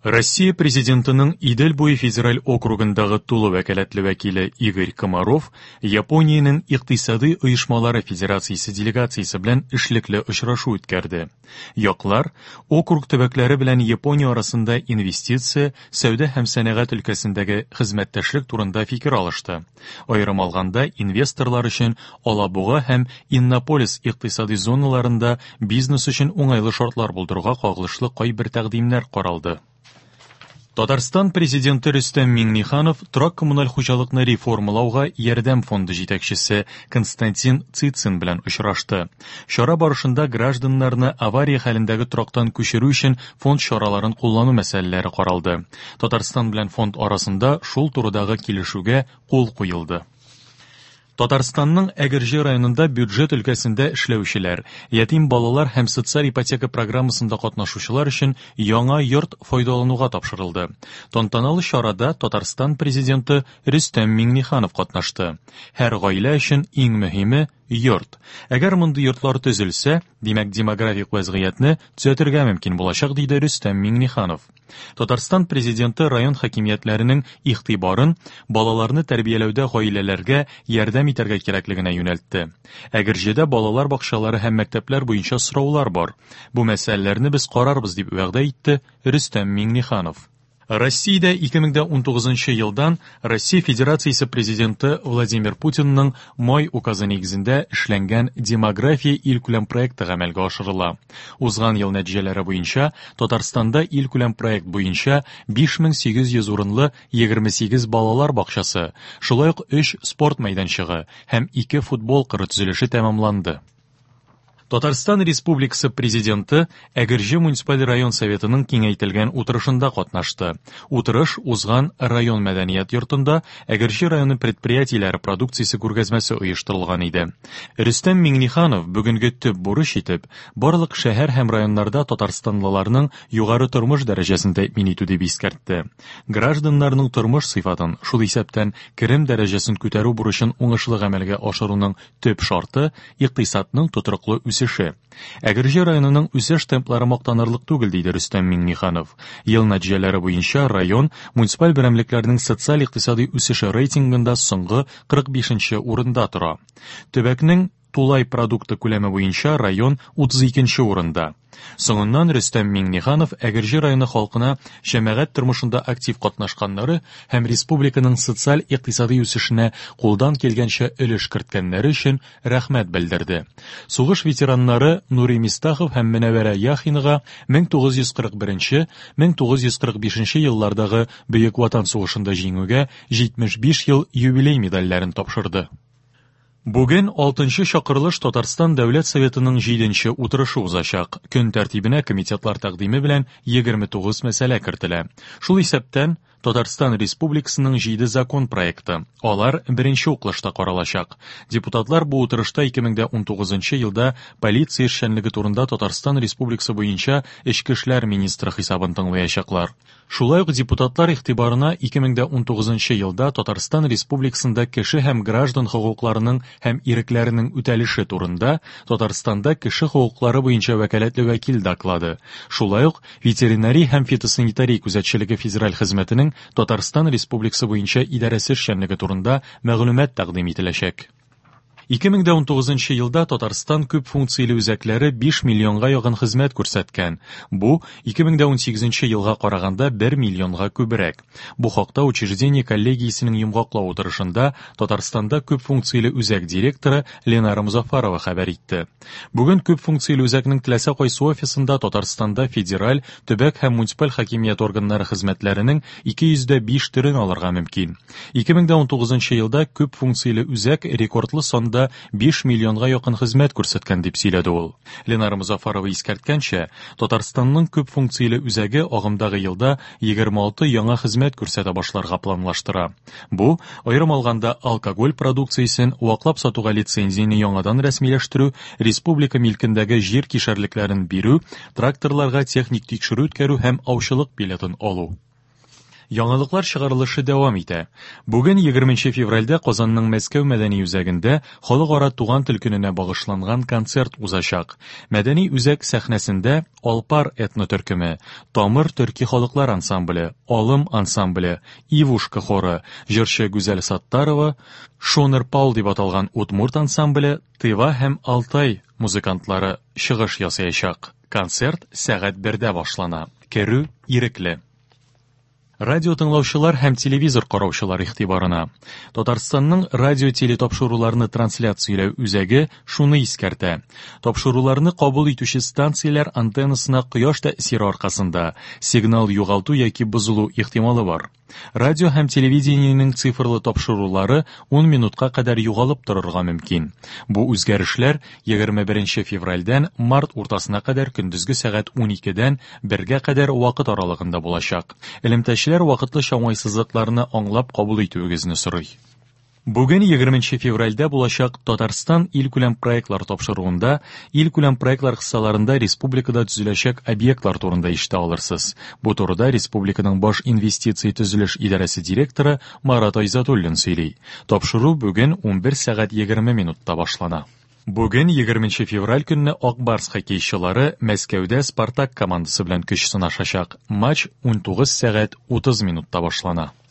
Россия Президентының Идел буе федераль округындагы тулы вәкаләтле вәкиле Игорь Комаров Япониянең Икътисадый оешмалары федерациясе делегациясе белән эшлекле очрашу үткәрде. Яклар округ төбәкләре белән Япония арасында инвестиция, сәүдә һәм сәнәгать өлкәсендәге хезмәттәшлек турында фикер алышты. Аерым алганда, инвесторлар өчен Алабуга һәм Иннополис икътисадый зоналарында бизнес өчен уңайлы шартлар булдыруга кагылышлы кайбер тәкъдимнәр каралды. Татарстан Президенты Рөстәм Миңнеханов торак-коммуналь хуҗалыкны реформалауга ярдәм фонды җитәкчесе Константин Цицин белән очрашты. Чара барышында гражданнарны авария хәлендәге торактан күчерү өчен фонд чараларын куллану мәсьәләләре каралды. Татарстан белән фонд арасында шул турыдагы килешүгә кул куелды. Татарстанның Әгерҗе районында бюджет өлкәсендә эшләүчеләр, ятим балалар һәм социаль ипотека программасында катнашучылар өчен яңа йорт файдалануга тапшырылды. Тантаналы чарада Татарстан Президенты Рөстәм Миңнеханов катнашты. Һәр гаилә өчен иң мөһиме, йорт. Әгәр мондый йортлар төзелсә, димәк, демографик вәзгыятьне төзәтергә мөмкин булачак, диде Рөстәм Миңнеханов. Татарстан Президенты район хакимиятләренең игътибарын балаларны тәрбияләүдә гаиләләргә ярдәм итәргә кирәклегенә юнәлтте. Әгерҗедә балалар бакчалары һәм мәктәпләр буенча сораулар бар. Бу мәсьәләләрне без карарбыз, дип вәгъдә итте Рөстәм Миңнеханов. Россиядә 2019 елдан Россия Федерациясе Президенты Владимир Путинның май указы нигезендә эшләнгән Демография илкүләм проекты гамәлгә ашырыла. Узган ел нәтиҗәләре буенча Татарстанда илкүләм проект буенча 5800 урынлы 28 балалар бакчасы, шулай ук 3 спорт мәйданчыгы һәм 2 футбол кыры төзелеше тәмамланды. Татарстан Республикасы Президенты Әгерҗе муниципаль район Советының киңәйтелгән утырышында катнашты. Утырыш узган район мәдәният йортында Әгерҗе районы предприятиеләре продукциясе күргәзмәсе оештырылган иде. Рөстәм Миңнеханов бүгенге төп бурыч итеп барлык шәһәр һәм районнарда татарстанлыларның югары тормыш дәрәҗәсен тәэмин итү дип искәртте. Гражданнарның тормыш сыйфатын, шул исәптән керем дәрәҗәсен күтәрү бурычын уңышлы гамәлгә ашыруның Төп шарты, икътисадның тотрыклы үсеше. Әгерҗе районының үсеш темплары мактанырлык түгел, диде Рөстәм Миңнеханов. Ел нәтиҗәләре буенча район муниципаль берәмлекләрнең социаль-икътисадый үсеше рейтингында соңгы 45 нче урында тора. Төбәкнең тулай продукты күләме буенча район 32 нче урында. Соңыннан Рөстәм Миңнеханов Әгерҗе районы халкына җәмәгать тормышында актив катнашканнары һәм республиканың социаль-икътисадый үсешенә кулдан килгәнчә өлеш керткәннәре өчен рәхмәт белдерде. Сугыш ветераннары Нури Мистахов һәм Мөнәвәрә Яхинага 1941-1945 еллардагы Бөек Ватан сугышында җиңүгә 75 ел юбилей медальләрен тапшырды. Бүген алтынчы чакырылыш Татарстан Дәүләт Советының җиденче утырышы узачак. Көн тәртибенә комитетлар тәкъдиме белән 29 мәсьәлә кертелә. Шул исәптән, Татарстан Республикасының җиде закон проекты. Алар беренче укылышта каралачак. Депутатлар бу утырышта 2019 елда полиция эшчәнлеге турында Татарстан Республикасы буенча Эчке эшләр министры хисабын тыңлаячаклар. Шулай ук депутатлар игътибарына 2019 елда Татарстан Республикасында кеше һәм граждан хокукларының һәм ирекләренең үтәлеше турында Татарстанда кеше хокуклары буенча вәкаләтле вәкил доклады, шулай ук Ветеринария һәм фитосанитария күзәтчелеге федераль хезмәтенең Татарстан Республикасы буенча идарәсе эшчәнлеге турында мәгълүмат тәкъдим ителәчәк. 2019 елда Татарстан күп функцияле үзәкләре 5 миллионга якын хезмәт күрсәткән. Бу 2018 елга караганда 1 миллионга күбрәк. Бу хакта учреждение коллегиясенең йомгаклау утырышында Татарстанда күп функцияле үзәк директоры Ленара Музафарова хәбәр итте. Бүген күп функцияле үзәкнең теләсә кайсы офисында Татарстанда федераль, төбәк һәм муниципаль хакимият органнары хезмәтләренең 205 төрен алырга мөмкин. 2019 елда күп функцияле үзәк рекордлы санда 5 миллионга якын хезмәт күрсәткән, дип сөйләде ул. Ленара Мозафарова искәрткәнчә, Татарстанның күп функцияле үзәге агымдагы елда 26 яңа хезмәт күрсәтә башларга планлаштыра. Бу, аерым алганда, алкоголь продукциясен ваклап сатуга лицензияне яңадан рәсмиләштерү, республика милкендәге җир кишәрлекләрен бирү, тракторларга техник тикшерү үткәрү һәм аучылык билетын алу. Яңалыклар чыгарылышы дәвам итә. Бүген 20 февральдә Казанның Мәскәү мәдәни үзәгендә Халыкара туган тел көненә багышланган концерт узачак. Мәдәни үзәк сәхнәсендә Алпар этно-төркеме, Тамыр төрки халыклар ансамбле, Алым ансамбле, Ивушка хоры, җырчы Гүзәл Саттарова, Шонер Пал дип аталган удмурт ансамбле, Тыва һәм Алтай музыкантлары чыгыш ясаячак. Концерт сәгать бердә башлана. Керү ирекле. Радио тыңлаучылар һәм телевизор караучылар игътибарына. Татарстанның радио телетапшыруларны трансляцияләү үзәге шуны искәртә. Тапшыруларны кабул итүче станцияләр антеннасына кояш тәэсире аркасында сигнал югалту яки бозылу ихтималы бар. Радио һәм телевидениенең цифрлы тапшырулары 10 минутка кадәр югалып торырга мөмкин. Бу үзгәрешләр 21 февральдән март уртасына кадәр көндезге сәгать 12дән 1гә кадәр вакыт аралыгында булачак. Элемтәчеләр вакытлыча уңайсызлыкларны аңлап кабул итүегезне сорый. Бүген 20 февральдә булачак Татарстан илкүләм проектлар тапшыруында илкүләм проектлар кысаларында республикада төзеләчәк объектлар турында ишетә алырсыз. Бу турыда республиканың баш инвестиция төзелеш идарәсе директоры Марат Айзатуллин сөйли. Тапшыру бүген 11 сәгать 20 минутта башлана. Бүген 20 февраль көнне Ак Барс хоккейчылары Мәскәүдә Спартак командасы белән көч сынашачак. Матч 19 сәгать 30 минутта башлана.